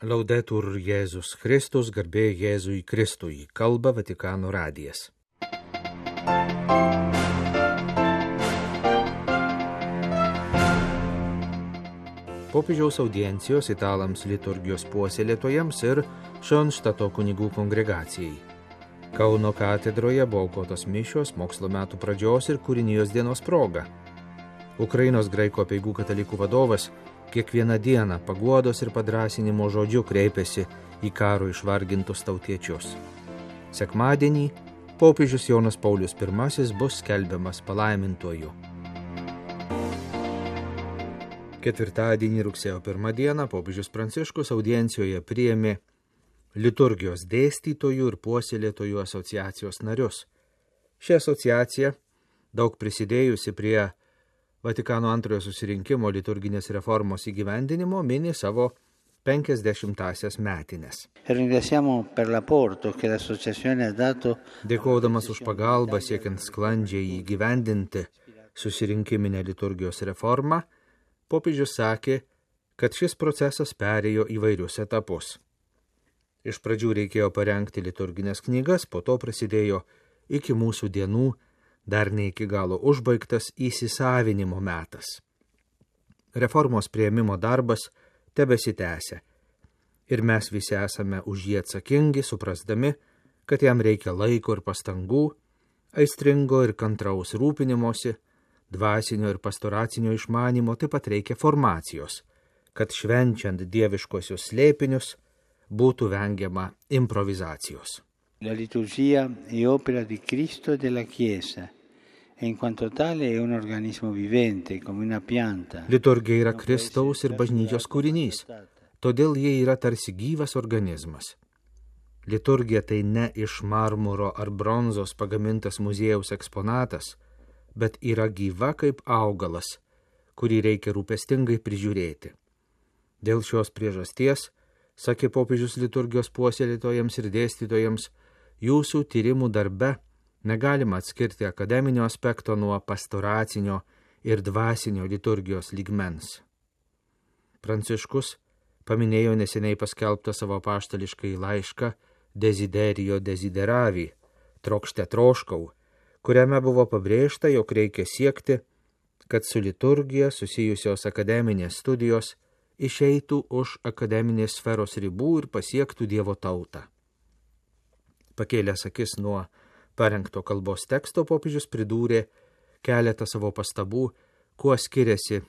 Laudetur Jėzus Kristus, garbė Jėzui Kristui, kalba Vatikano radijas. Popiežiaus audiencijos italams liturgijos puoselėtojams ir Šonštato kunigų kongregacijai. Kauno katedroje buvo aukotos mišios mokslo metų pradžios ir kūrinijos dienos proga. Ukrainos graikų apeigų katalikų vadovas kiekvieną dieną paguodos ir padrąsinimo žodžiu kreipiasi į karo išvargintus tautiečius. Sekmadienį popiežius Jonas Paulius I bus skelbiamas palaimintuoju. Ketvirtadienį rugsėjo 1 dieną popiežius Pranciškus audiencijoje priėmė liturgijos dėstytojų ir puoselėtojų asociacijos narius. Ši asociacija, daug prisidėjusi prie Vatikano antrojo susirinkimo liturginės reformos įgyvendinimo, mini savo 50-asias metines. Dėkodamas už pagalbą siekiant sklandžiai įgyvendinti susirinkiminę liturgijos reformą, popiežius sakė, kad šis procesas perėjo įvairius etapus. Iš pradžių reikėjo parengti liturginės knygas, po to prasidėjo iki mūsų dienų dar ne iki galo užbaigtas įsisavinimo metas. Reformos priėmimo darbas tebesitęsia ir mes visi esame už jį atsakingi, suprasdami, kad jam reikia laiko ir pastangų, aistringo ir kantraus rūpinimosi, dvasinio ir pastoracinio išmanymo, taip pat reikia formacijos, kad švenčiant dieviškosius slėpinius būtų vengiama improvizacijos. La liturgia è opera di Cristo e della Chiesa, e in quanto tale è un organismo vivente, come una pianta. Liturgija yra Kristaus ir bažnyčios kūrinys, todėl jie yra tarsi gyvas organizmas. Liturgija tai ne iš marmuro ar bronzos pagamintas muziejaus eksponatas, bet yra gyva kaip augalas, kurį reikia rūpestingai prižiūrėti. Dėl šios priežasties, sakė popiežius liturgijos puoselėtojams ir dėstytojams, jūsų tyrimų darbe negalima atskirti akademinio aspekto nuo pastoracinio ir dvasinio liturgijos lygmens. Pranciškus paminėjo neseniai paskelbtą savo apaštališkąjį laišką Desiderio desideravi, trokšte troškau, kuriame buvo pabrėžta, jog reikia siekti, kad su liturgija susijusios akademinės studijos išeitų už akademinės sferos ribų ir pasiektų Dievo tautą. Pakėlęs akis nuo parengto kalbos teksto, popiežius pridūrė keletą savo pastabų, kuo skiriasi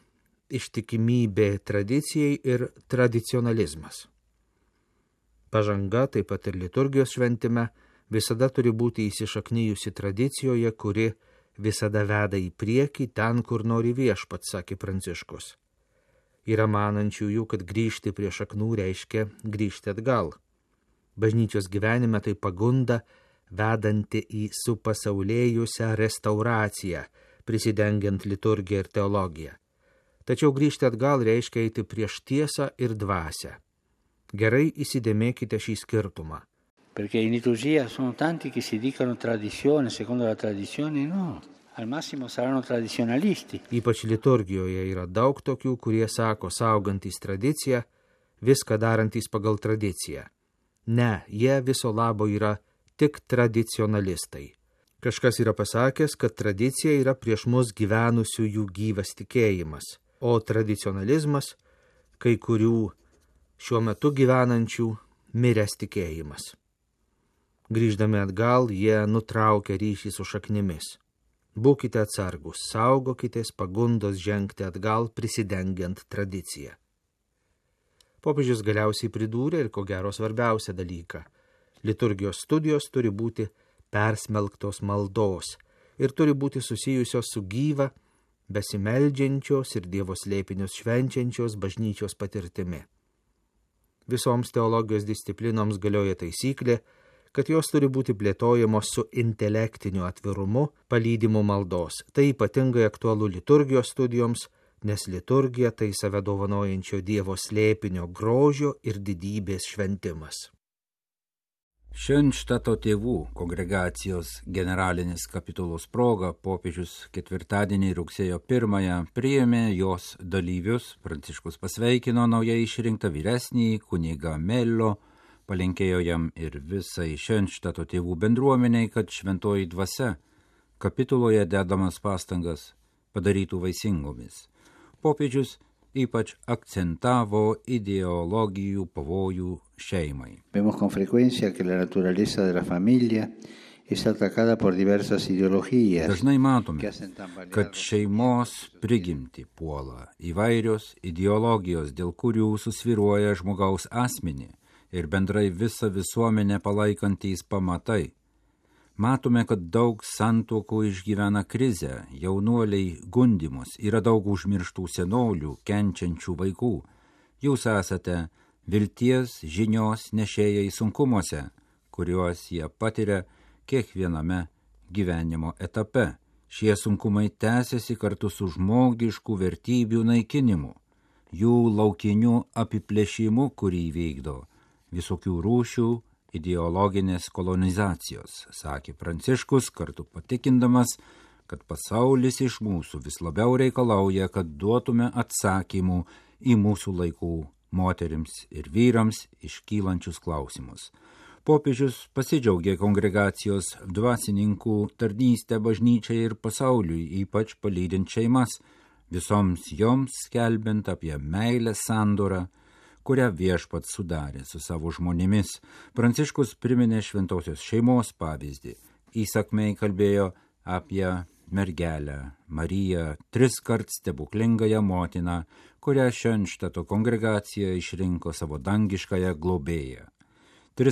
ištikimybė tradicijai ir tradicionalizmas. Pažanga, taip pat ir liturgijos šventime, visada turi būti įsišaknijusi tradicijoje, kuri visada veda į priekį ten, kur nori viešpats, sakė Pranciškus. Yra manančiųjų, kad grįžti prie šaknų reiškia grįžti atgal. Bažnyčios gyvenime tai pagunda, vedanti į supasaulėjusią restauraciją, prisidengiant liturgiją ir teologiją. Tačiau grįžti atgal reiškia eiti prieš tiesą ir dvasią. Gerai įsidėmėkite šį skirtumą. Perché in liturgia sono tanti che si dicono tradizione, secondo la tradizione no. Al massimo saranno tradizionalisti. Ypač liturgijoje yra daug tokių, kurie sako, saugantys tradiciją, viską darantys pagal tradiciją. Ne, jie viso labo yra tik tradicionalistai. Kažkas yra pasakęs, kad tradicija yra prieš mus gyvenusiųjų gyvas tikėjimas, o tradicionalizmas kai kurių šiuo metu gyvenančių miręs tikėjimas. Grįždami atgal, jie nutraukia ryšį su šaknimis. Būkite atsargus, saugokitės pagundos žengti atgal, prisidengiant tradiciją. Popiežius galiausiai pridūrė ir ko gero svarbiausią dalyką. Liturgijos studijos turi būti persmelktos maldos ir turi būti susijusios su gyva, besimeldžiančios ir Dievo slėpinius švenčiančios bažnyčios patirtimi. Visoms teologijos disciplinoms galioja taisyklė, kad jos turi būti plėtojamos su intelektiniu atvirumu, palydimu maldos. Tai ypatingai aktualu liturgijos studijoms, nes liturgija tai save dovanojančio Dievo slėpinio grožio ir didybės šventimas. Šenštato tėvų kongregacijos generalinis kapitulos proga popiežius ketvirtadienį rugsėjo 1 priėmė jos dalyvius, Pranciškus pasveikino naujai išrinktą vyresnįjį kunigą Mello, palinkėjo jam ir visai Šenštato tėvų bendruomeniai, kad šventoji dvasia kapituloje dedamas pastangas padarytų vaisingomis. Popiežius ypač akcentavo ideologijų pavojų šeimai. Vemos con frecuencia que la naturaleza de la familia es atacada por diversas ideologías. Dažnai matome, kad šeimos prigimtį puola įvairios ideologijos, dėl kurių susvyruoja žmogaus asmenį ir bendrai visą visuomenę palaikantys pamatai. Matome, kad daug santuokų išgyvena krizę, jaunuoliai gundymus, yra daug užmirštų senolių, kenčiančių vaikų. Jūs esate vilties žinios nešėjai sunkumuose, kuriuos jie patiria kiekviename gyvenimo etape. Šie sunkumai tęsiasi kartu su žmogiškų vertybių naikinimu, jų laukiniu apiplėšimu, kurį vykdo visokių rūšių ideologinės kolonizacijos, sakė Pranciškus, kartu patikindamas, kad pasaulis iš mūsų vis labiau reikalauja, kad duotume atsakymų į mūsų laikų moterims ir vyrams iškylančius klausimus. Popiežius pasidžiaugė kongregacijos dvasininkų tarnystę bažnyčiai ir pasauliui, ypač palydint šeimas, visoms joms skelbiant apie meilę sandorą, kurią viešpats sudarė su savo žmonėmis. Pranciškus priminė šventosios šeimos pavyzdį. Įsakmiai kalbėjo apie mergelę Mariją, 3 stebuklingąją motiną, kurią Šenštato kongregacija išrinko savo dangiškąją globėją. 3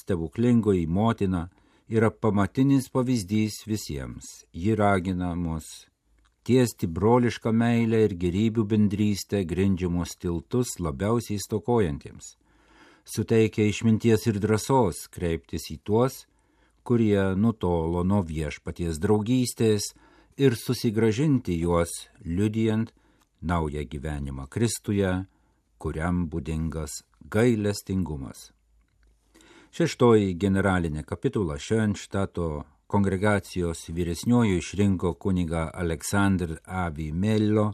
stebuklingoji motina yra pamatinis pavyzdys visiems. Ji ragina mus tiesti brolišką meilę ir gerybių bendrystę grindžiamus tiltus labiausiai stokojantiems. Suteikia išminties ir drąsos kreiptis į tuos, kurie nutolo nuo viešpaties draugystės ir susigrąžinti juos, liudijant naują gyvenimą Kristuje, kuriam būdingas gailestingumas. 6 generalinė kapitula Šenštato kongregacijos vyresniuoju išrinko kunigą Aleksandr Avi Mello,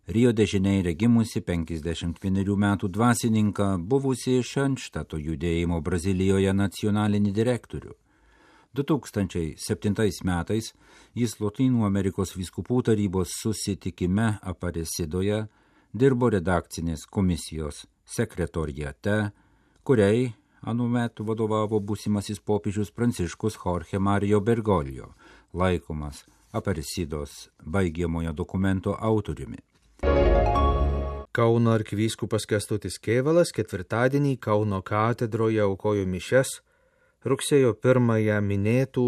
Rio de Žaneire gimusi 51 metų dvasininką, buvusi Šenštato judėjimo Brazilijoje nacionalinį direktorių. 2007 metais jis Lotynų Amerikos vyskupų tarybos susitikime Aparecidoje dirbo redakcinės komisijos sekretoriate, kuriai anuomet vadovavo būsimasis popiežius Pranciškus Jorge Mario Bergoglio, laikomas Aparecidos baigiamojo dokumento autoriumi. Kauno arkivyskupas Kęstutis Kėvalas ketvirtadienį Kauno katedroje aukojo mišias rugsėjo 1 minėtų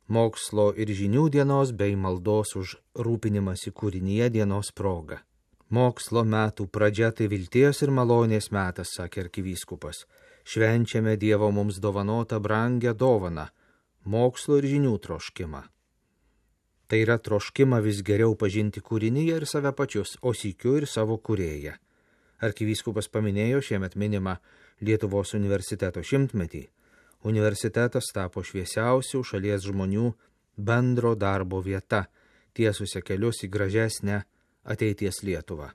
mokslo ir žinių dienos bei maldos už rūpinimąsi kūrinyje dienos proga. Mokslo metų pradžia tai vilties ir malonės metas, sakė arkivyskupas. Švenčiame Dievo mums dovanotą brangią dovaną – mokslo ir žinių troškimą. Tai yra troškimą vis geriau pažinti kūrinyje ir save pačius, o sykiu ir savo kūrėją. Arkivyskupas paminėjo šiemet minimą Lietuvos universiteto 100-metį. Universitetas tapo šviesiausių šalies žmonių bendro darbo vieta, tiesusia kelius į gražesnę ateities Lietuvą.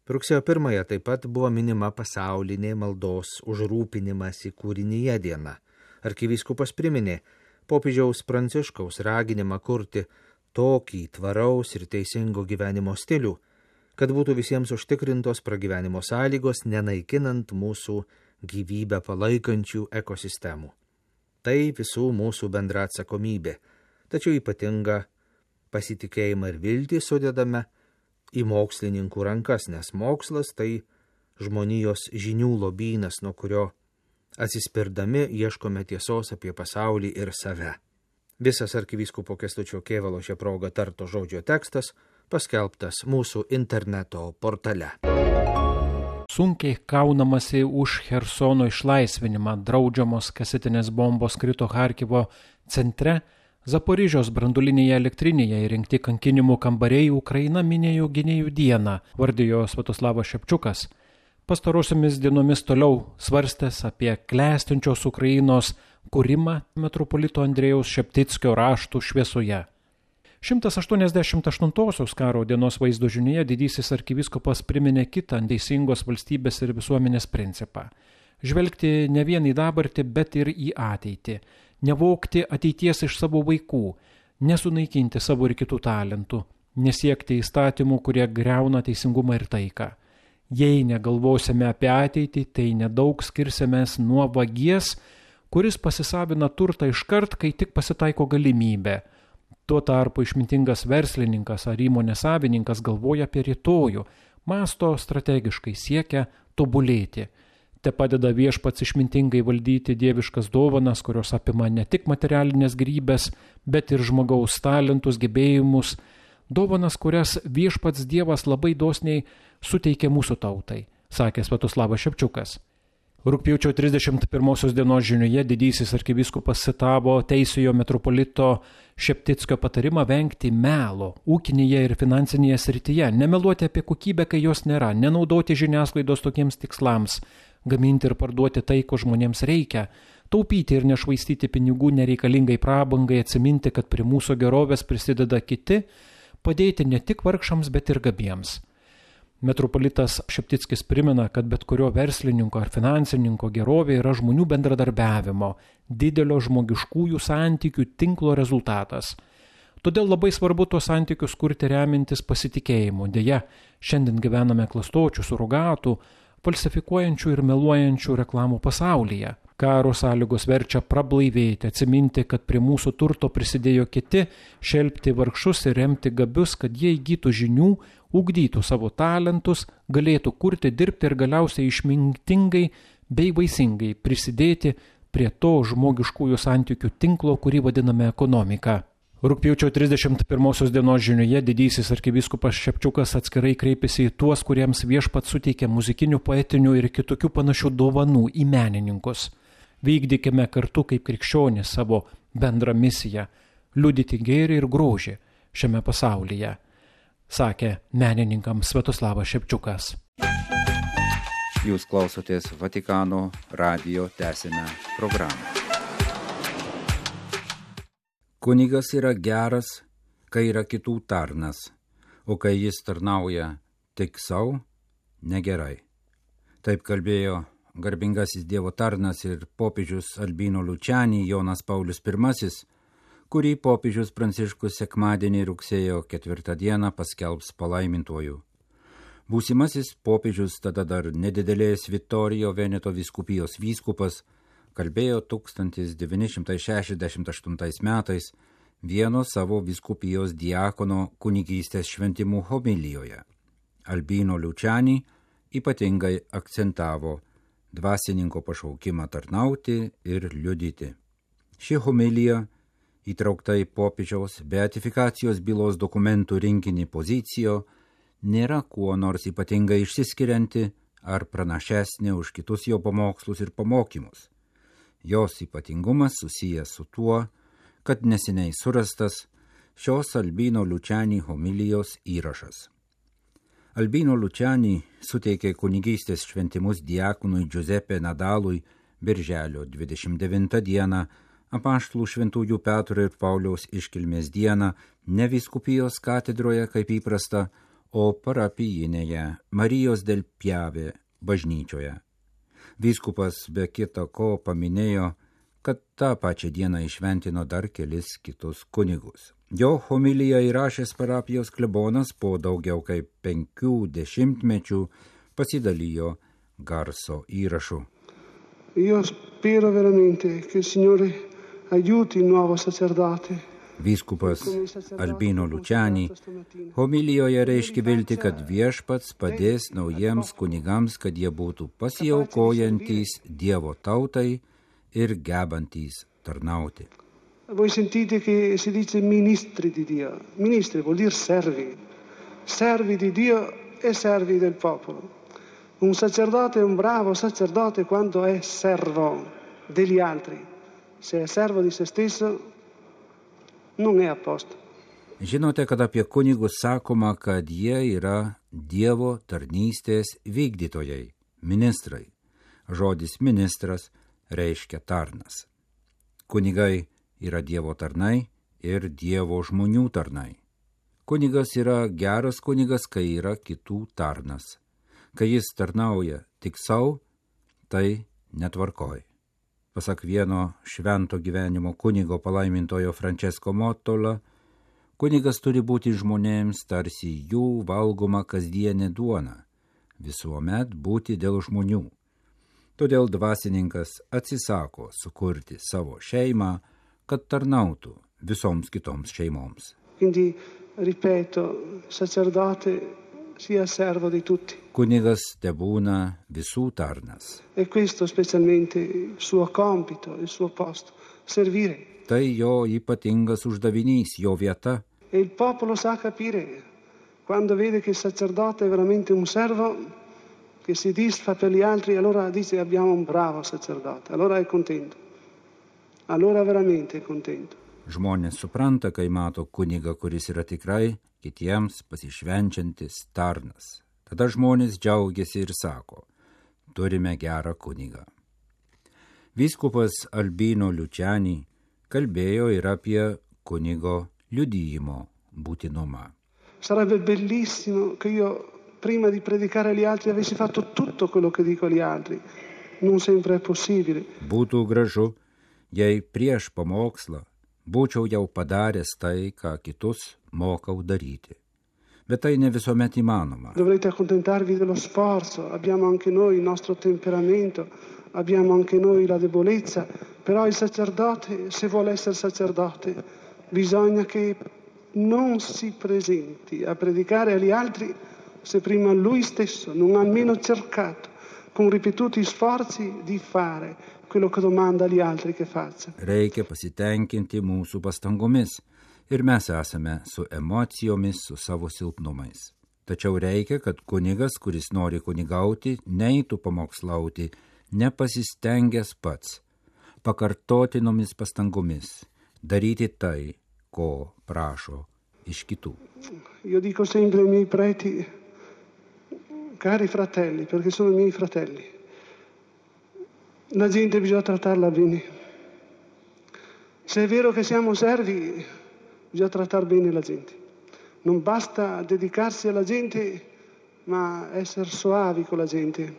Rugsėjo 1 taip pat buvo minima pasaulinė maldos už rūpinimąsi kūrinyje diena. Arkivyskupas priminė popiežiaus Pranciškaus raginimą kurti tokį tvaraus ir teisingo gyvenimo stilių, kad būtų visiems užtikrintos pragyvenimo sąlygos, nenaikinant mūsų gyvybę palaikančių ekosistemų. Tai visų mūsų bendra atsakomybė, tačiau ypatinga pasitikėjimą ir viltį sudedame į mokslininkų rankas, nes mokslas tai žmonijos žinių lobynas, nuo kurio atsispirdami ieškome tiesos apie pasaulį ir save. Visas arkivyskupo Kęstučio Kėvalo šią progą tarto žodžio tekstas paskelbtas mūsų interneto portale. Sunkiai kaunamasi už Chersono išlaisvinimą, draudžiamos kasetinės bombos krito Charkivo centre, Zaporižios branduolinėje elektrinėje įrengti kankinimų kambariai Ukraina minėjo gynėjų dieną, vardijo Sviatoslavas Šepčiukas. pastarosiomis dienomis toliau svarstęs apie klestinčios Ukrainos kūrimą metropolito Andrėjaus Šeptickio raštų šviesoje. 188 karo dienos vaizdo žinioje didysis arkivyskupas priminė kitą teisingos valstybės ir visuomenės principą. Žvelgti ne vien į dabartį, bet ir į ateitį. Nevogti ateities iš savo vaikų, nesunaikinti savo ir kitų talentų, nesiekti įstatymų, kurie griauna teisingumą ir taiką. Jei negalvosime apie ateitį, tai nedaug skirsimės nuo vagies, kuris pasisavina turtą iškart, kai tik pasitaiko galimybė. Tuo tarpu išmintingas verslininkas ar įmonės savininkas galvoja apie rytojų, mąsto strategiškai, siekia tobulėti. Te padeda Viešpats išmintingai valdyti dieviškas dovanas, kurios apima ne tik materialinės gėrybes, bet ir žmogaus talentus, gebėjimus, dovanas, kurias Viešpats Dievas labai dosniai suteikė mūsų tautai, sakė Sviatoslavas Šepčiukas. Rugpjūčio 31 dienos žinioje didysis arkivyskupas citavo teisiojo metropolito Šeptickio patarimą vengti melo ūkinėje ir finansinėje srityje, nemeluoti apie kokybę, kai jos nėra, nenaudoti žiniasklaidos tokiems tikslams, gaminti ir parduoti tai, ko žmonėms reikia, taupyti ir nešvaistyti pinigų nereikalingai prabangai, atsiminti, kad prie mūsų gerovės prisideda kiti, padėti ne tik vargšams, bet ir gabiems. Metropolitas Šeptickis primena, kad bet kurio verslininko ar finansininko gerovė yra žmonių bendradarbiavimo, didelio žmogiškųjų santykių tinklo rezultatas. Todėl labai svarbu tuos santykius kurti remintis pasitikėjimu. Deja, šiandien gyvename klastočių, surogatų, falsifikuojančių ir meluojančių reklamų pasaulyje. Karo sąlygos verčia prablaivėti, atsiminti, kad prie mūsų turto prisidėjo kiti, šelpti vargšus ir remti gabius, kad jie įgytų žinių, ugdytų savo talentus, galėtų kurti, dirbti ir galiausiai išmintingai bei vaisingai prisidėti prie to žmogiškųjų santykių tinklo, kurį vadiname ekonomika. Rugpjūčio 31 dienos žinioje didysis arkivyskupas Šepčiukas atskirai kreipėsi į tuos, kuriems Viešpats suteikė muzikinių, poetinių ir kitokių panašių dovanų, į menininkus. Vykdykime kartu kaip krikščionys savo bendrą misiją – liudyti gėrį ir grožį šiame pasaulyje, sakė menininkams Sviatoslavas Šepčiukas. Jūs klausotės Vatikano radijo tęsinę programą. Kunigas yra geras, kai yra kitų tarnas, o kai jis tarnauja tik savo, negerai. Taip kalbėjo garbingasis Dievo tarnas ir popiežius Albino Luciani Jonas Paulius I, kurį popiežius Pranciškus sekmadienį rugsėjo 4 dieną paskelbs palaimintuoju. Būsimasis popiežius, tada dar nedidelės Vittorio Veneto vyskupijos vyskupas, kalbėjo 1968 metais vieno savo vyskupijos diakono kunigystės šventimų homilijoje. Albino Luciani ypatingai akcentavo dvasininko pašaukimą tarnauti ir liudyti. Ši homilija, įtraukta į popiežiaus beatifikacijos bylos dokumentų rinkinį Pozicijo, nėra kuo nors ypatingai išsiskirianti ar pranašesnė už kitus jo pamokslus ir pamokymus. Jos ypatingumas susijęs su tuo, kad neseniai surastas šios Albino Luciani homilijos įrašas. Albino Luciani suteikė kunigystės šventimus diakonui Giuseppe Nadalui birželio 29 dieną, apaštalų šventųjų Petro ir Pauliaus iškilmės dieną, ne vyskupijos katedroje kaip įprasta, o parapijinėje Marijos del Piave bažnyčioje. Vyskupas be kita ko paminėjo, kad tą pačią dieną įšventino dar kelis kitus kunigus. Jo homiliją įrašęs parapijos klebonas po daugiau kaip 50 metų pasidalijo garso įrašu. Io spero veramente che il Signore aiuti il nuovo sacerdote. Vyskupas Albino Luciani homilijoje reiškia viltį, kad Viešpats padės naujiems kunigams, kad jie būtų pasiaukojantys Dievo tautai ir gebantys tarnauti. Voi sentite che si dice ministri di Dio. Ministri vuol dire servi. Servi di Dio e servi del popolo. Un sacerdote è un bravo sacerdote quando è servo degli altri. Se è servo di se stesso, non è a posto. Žinote, kad apie kunigus sakoma, kad jie yra Dievo tarnystės vykdytojai, ministrai. Žodis ministras reiškia tarnas. Kunigai yra Dievo tarnai ir Dievo žmonių tarnai. Kunigas yra geras kunigas, kai yra kitų tarnas. Kai jis tarnauja tik savo, tai netvarkoj. Pasak vieno švento gyvenimo kunigo palaimintojo Francesco Mottola, kunigas turi būti žmonėms tarsi jų valgoma kasdienė duona, visuomet būti dėl žmonių. Todėl dvasininkas atsisako sukurti savo šeimą, kad tarnautų visoms kitoms šeimoms. Quindi, ripeto, sacerdote sia servo di tutti. Kunigas tebūna visų tarnas. E questo specialmente il suo compito, il suo posto, servire. Tai jo ypatingas uždavinys, jo vieta. E il popolo sa capire, quando vede che il sacerdote è veramente un servo, che si disfa per gli altri, allora dice abbiamo un bravo sacerdote, allora è contento, allora veramente è contento. Žmonės supranta, kai mato kunigą, kuris yra tikrai kitiems pasišvenčiantis tarnas. Tada žmonės džiaugiasi ir sako, turime gerą kunigą. Vyskupas Albino Luciani kalbėjo ir apie kunigo liudijimo būtinumą. Sarebbe bellissimo che io prima di predicare agli altri avessi fatto tutto quello che dico agli altri. Non sempre è possibile. Būtų gražu, jei prieš pamokslą būčiau jau padaręs tai, ką kitus mokau daryti. Bet tai ne visuomet įmanoma. Dovrete accontentarvi dello sforzo, abbiamo anche noi il nostro temperamento, abbiamo anche noi la debolezza, però il sacerdote, se vuole essere sacerdote, bisogna che non si presenti a predicare agli altri se prima lui stesso non ha almeno cercato, con ripetuti sforzi, di fare quello che domanda agli altri che faccia. Reikia pasitenkinti mūsų pastangomis ir mes esame su emocijomis, su savo silpnumais. Tačiau reikia, kad kunigas, kuris nori kunigauti, neitų pamokslauti, nepasistengęs pats, pakartotinomis pastangomis, daryti tai, ko prašo iš kitų. Io dico sempre ai miei preti, cari fratelli, perché sono i miei fratelli, la gente bisogna trattarla bene. Se è vero che siamo servi, bisogna trattare bene la gente. Non basta dedicarsi alla gente, ma essere soavi con la gente,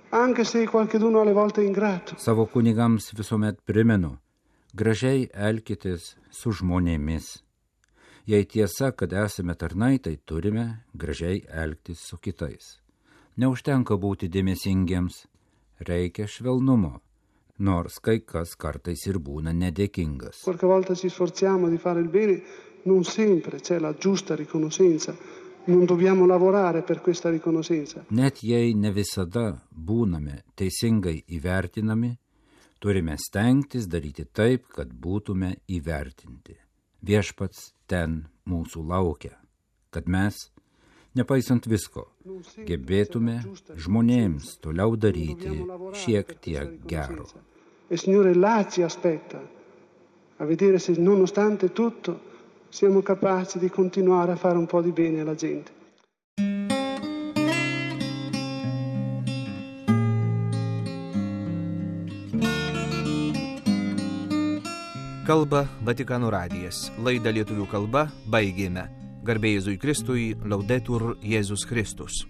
anche se qualcuno alle volte è ingrato. Savo kunigams visuomet primenu, gražiai elkitės su žmonėmis. Jei tiesa, kad esame tarnai, tai turime gražiai elgtis su kitais. Neužtenka būti dėmesingiems, reikia švelnumo, nors kai kas kartais ir būna nedėkingas. Qualche volta ci sforziamo di fare il bene, non sempre c'è la giusta riconoscenza, non dobbiamo lavorare per questa riconoscenza. Net jei ne visada būname teisingai įvertinami, turime stengtis daryti taip, kad būtume įvertinti. Viešpats ten mūsų laukia, kad mes, nepaisant visko, gebėtume žmonėms toliau daryti šiek tiek gero. E Signore là ci aspetta, a vedere se nonostante tutto siamo capaci di continuare a fare un po' di bene alla gente. Kalba Vatikano radijas. Laidą lietuvių kalba baigėme. Garbė Jėzui Kristui, Laudetur Jėzus Kristus.